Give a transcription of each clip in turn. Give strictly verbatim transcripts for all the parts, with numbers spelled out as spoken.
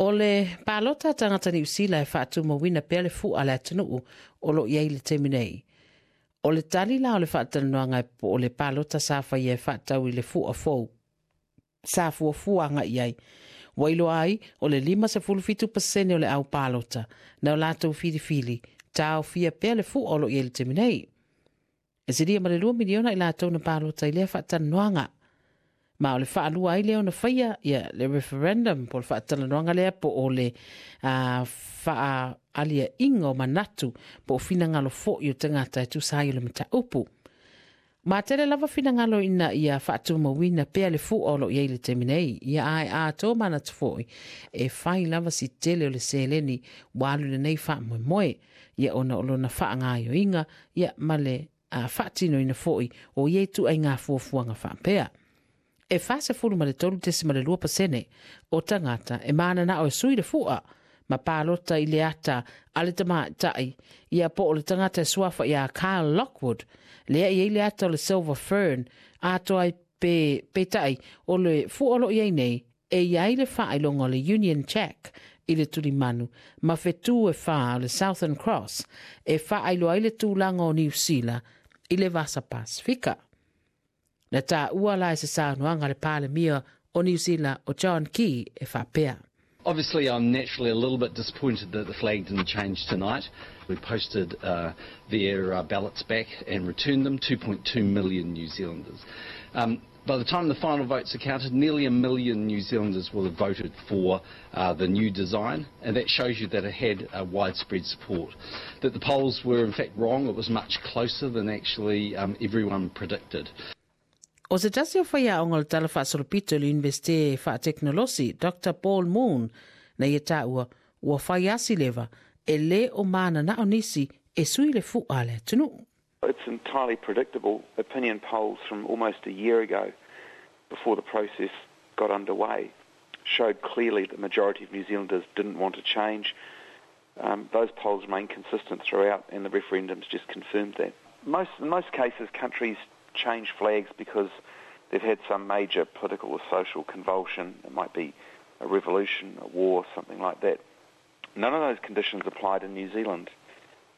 O le palota a tagata Niu Sila e faatumauina pea le fu'a a le atunuu o lo o i ai le taimi nei. O le tali la o le faatalanoaga po o le palota sa faia e faatatau i le fu'a fou sa fuafua agai i ai. Ua iloa ai o le lima sefulu fitu pasene o le au palota na o latou filifili taofia pea le fu'a o lo o i ai le taimi nei. E silia ma le lua miliona i latou na palota i lea faatalanoaga. Ma o le faalua ai lea ona faia ia le referendum po o le faatalanoaga lea po o le uh, faaaliaiga o manatu po o finagalo foi o tagata e tusa ai o le mataupu. Ma tele lava finagalo ina ia faatumauina pea le fu'a o lo o i ai le taimi nei. Ia ae atoa manatu foi e fai lava si tele o le seleni ua alu lenei faamoemoe. Ia ona o lona faagaoioiga ia ma le uh, faatinoina foi o ia ituaiga fuafuaga faapea. E fa sefulu ma le tolu tesima le lua pasene o tagata e mananao e sui le fu'a ma palota i le ata a le tamaitai ia po o le tagata e suafa ia Kyle Lockwood lea i ai le ata o le Silver Fern atoa ai pe, peitai o le fu'a o lo o i ai nei e i ai le faailoga o le Union Jack i le tulimanu ma fetu e whā o le Southern Cross e faailoa ai le tulaga o Niu Sila i le Vasa Pasifika. Na taua la e se saunoaga le Palemia o Niu Sila o John Key e faapea. Obviously, I'm naturally a little bit disappointed that the flag didn't change tonight. We posted uh, their uh, ballots back and returned them, two point two million New Zealanders. Um, by the time the final votes are counted, nearly a million New Zealanders will have voted for uh, the new design, and that shows you that it had uh, widespread support. That the polls were in fact wrong, it was much closer than actually um, everyone predicted. O se tasi o faiaoga o le tala faasolopito i le Iunivesite Faatekonolosi, Doctor Paul Moon, na ia taua ua fai asi leva e lē o mananao nisi e sui le fu'a a le atunuu. It's entirely predictable. Opinion polls from almost a year ago, before the process got underway, showed clearly the majority of New Zealanders didn't want to change. Um, those polls remained consistent throughout, and the referendums just confirmed that. Most, in most cases, countries change flags because they've had some major political or social convulsion. It might be a revolution, a war, something like that. None of those conditions applied in New Zealand.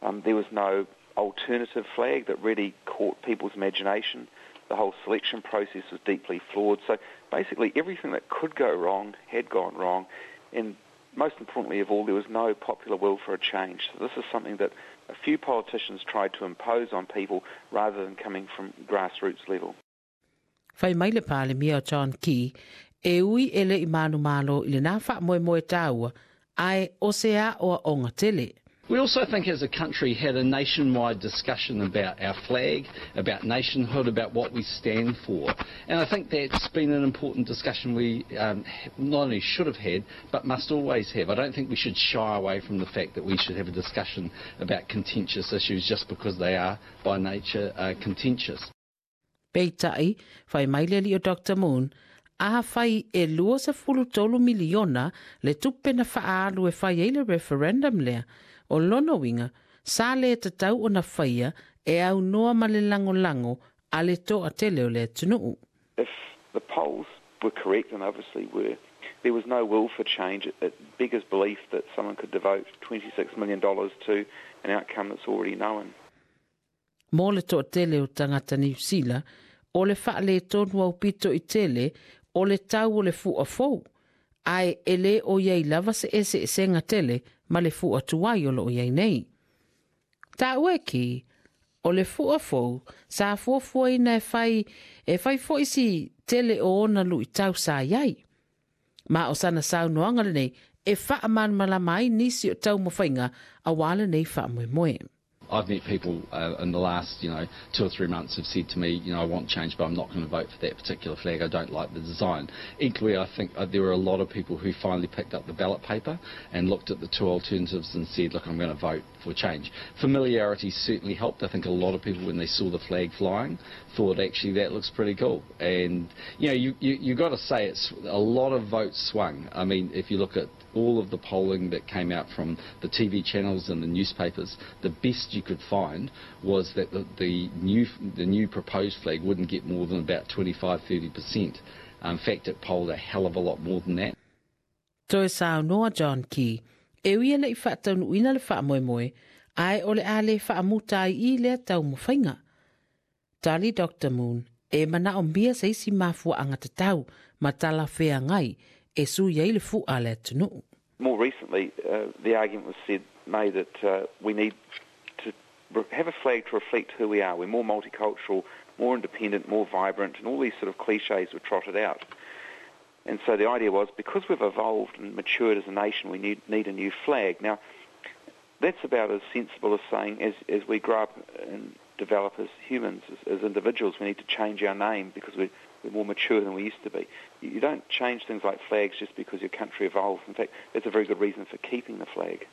Um, there was no alternative flag that really caught people's imagination. The whole selection process was deeply flawed. So basically, everything that could go wrong had gone wrong. And most importantly of all, there was no popular will for a change. So this is something that a few politicians tried to impose on people rather than coming from grassroots level. Fai mai le Palemia o John Key, e ui e lē i manumalo i lenā faamoemoe taua, ae o se aoaoga tele. We also think as a country had a nationwide discussion about our flag, about nationhood, about what we stand for. And I think that's been an important discussion we um, not only should have had, but must always have. I don't think we should shy away from the fact that we should have a discussion about contentious issues just because they are by nature uh, contentious. Peitai, fai mai le alii o Doctor Moon, afai e lua sefulu tolu miliona le tupe na faaalu e fai ai le referendum lea, o lona uiga, sa le tatau ona faia e aunoa ma le lagolago a le toatele o le atunuu. If the polls were correct, and obviously were, there was no will for change. It, it beggars belief that someone could devote twenty-six million dollars to an outcome that's already known. Mo le toatele o tagata Niu Sila, o le faaletonu aupito i tele o le tau o le fu'a fou, ae e lē o i ai lava se eseesega tele ma le fu'a tuai o lo o i ai nei. Taua e Key, o le fu'a fou sa fuafuaina e fai, e fai fo'i si tele o ona luitau sa i ai. Ma o sana saunoaga lenei e faamalamalama ai nisi o taumafaiga auā lenei faamoemoe. I've met people uh, in the last, you know, two or three months have said to me, you know, "I want change, but I'm not going to vote for that particular flag. I don't like the design." Equally, I think uh, there were a lot of people who finally picked up the ballot paper and looked at the two alternatives and said, "Look, I'm going to vote for change." Familiarity certainly helped. I think a lot of people, when they saw the flag flying, thought, "Actually, that looks pretty cool." And, you know, you, you, you got to say it's a lot of votes swung. I mean, if you look at all of the polling that came out from the T V channels and the newspapers, the best you could find was that the, the new the new proposed flag wouldn't get more than about twenty-five, thirty percent. In fact, it polled a hell of a lot more than that. Toe saunoa John Key, e ui e le'i faataunuuina le faamoemoe, ae o le a le faamuta ai i lea taumafaiga. Tali Doctor Moon, e manaomia se isi mafuaaga tatau ma talafeagai e sui ai le fu'a a le atunuu. More recently, uh, the argument was said, made that uh, we need to have a flag to reflect who we are. We're more multicultural, more independent, more vibrant, and all these sort of cliches were trotted out. And so the idea was, because we've evolved and matured as a nation, we need, need a new flag. Now, that's about as sensible as saying as, as we grow up and develop as humans, as, as individuals, we need to change our name because we're, we're more mature than we used to be. You, you don't change things like flags just because your country evolves. In fact, that's a very good reason for keeping the flag.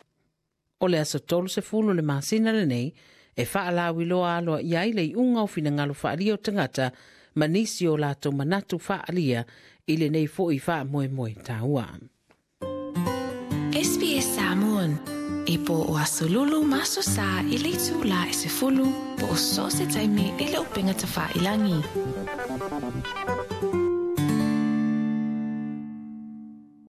O le aso tolu sefulu le masina lenei, e faalauiloa aloaia ai le iuga o finagalo faaalia o tagata ma nisi o latou manatu faaalia i lenei fo'i faamoemoe taua. S B S Samoan. E po o aso Lulu ma aso Sa i le itulā e sefulu po o so o se taimi i le upega tafailagi.